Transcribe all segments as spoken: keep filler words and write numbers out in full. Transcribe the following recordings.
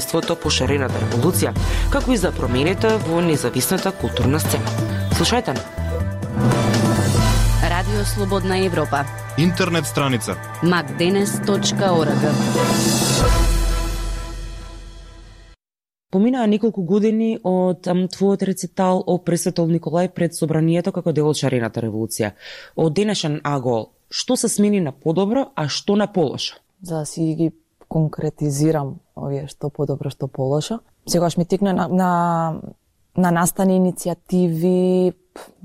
ството по шарената револуција, како и за промените во независната културна сцена. Слушајте на Радио Слободна Европа. Интернет страница макденес точка орг. Поминаа неколку години од ам, твојот рецитал о пресветол Николај пред собранието како дел од шарената револуција. Од денешен агол, што се смени на подобро, а што на полошо? За да си ги конкретизирам овие што подобро, што полошо. Сегаш ми тикна на, на, на настани иницијативи,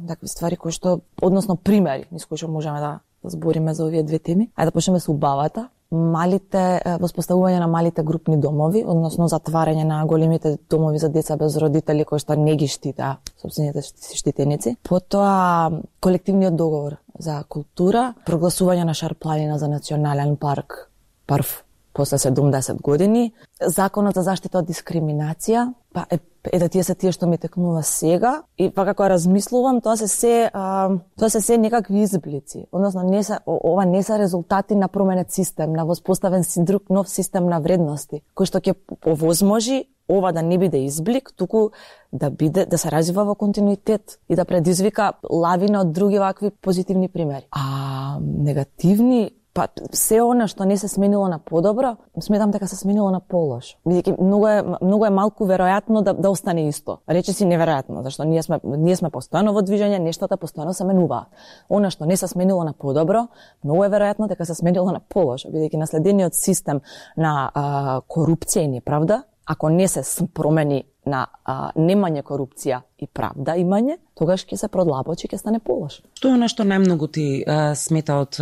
такви ствари кои што, односно примери, низ кои што можеме да збориме за овие две теми. Ајде да почнеме со убавата. Малите, воспоставување на малите групни домови, односно затварање на големите домови за деца без родители кои што не ги штитаа сопствените штитеници. Потоа колективниот договор за култура, прогласување на Шар-планина за национален парк прв после седумдесет години, законот за заштита од дискриминација, па е, е да тие се тие што ми текнува сега и па како размислувам, тоа се се а, тоа се се некакви изблици. Односно не се ова не се резултати на променет систем, на воспоставен си друг нов систем на вредности, кој што ќе овозможи ова да не биде изблик, туку да биде да се развива во континуитет и да предизвика лавина од други вакви позитивни примери. А негативни, па се она што не се сменило на подобро, сметам дека се сменило на полошо. Бидејќи многу е многу е малку веројатно да да остане исто. Речиси неверојатно, зашто ние сме ние сме постојано во движење, нештата постојано се менуваат. Она што не се сменило на подобро, многу е веројатно дека се сменило на полошо, бидејќи наследениот систем на а, корупција и неправда, ако не се промени на а, немање корупција и правда имање, тогаш ќе се продлабочи, ќе стане полошо. Што е нешто најмногу ти а, смета од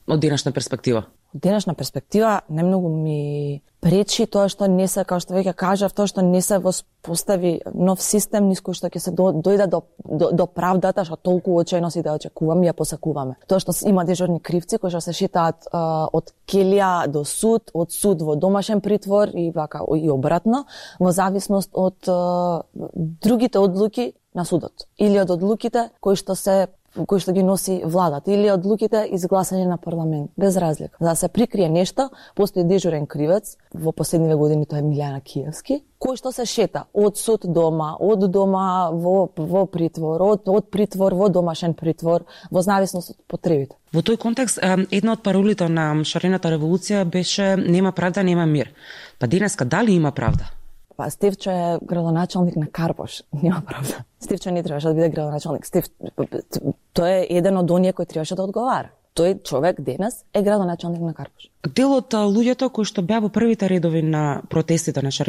од денешна перспектива? Од денешна перспектива најмногу ми пречи тоа што не се, како што веќе кажав, тоа што не се воспостави нов систем низ кој што ќе се до, дојде до, до, до правдата, што толку очајно си да очекуваме и ја посакуваме. Тоа што има дежурни кривци кои што се шитаат а, од келија до суд, од суд во домашен притвор и вака и обратно, во зависност од а, другите одлуки на судот или од одлуките кои што се кои што ги носи владата или одлуките изгласање на парламент, без разлика. За да се прикрие нешто, постои дежурен кривец, во последниве години тоа е Милјана Киевски, кој што се шета од суд дома, од дома во, во притвор, од, од притвор во домашен притвор, во зависност од потребите. Во тој контекст, една од паролите на шарената револуција беше нема правда, нема мир. Па денеска дали има правда? Па Стефчо е градоначалник на Карпош, нема правда. Стефчо не требаше да биде градоначалник. Стеф, тој е еден од оние кој требаше да одговара. Тој човек денес е градоначалник на Карпош. Дел од луѓето кои што беа во првите редови на протестите на шарената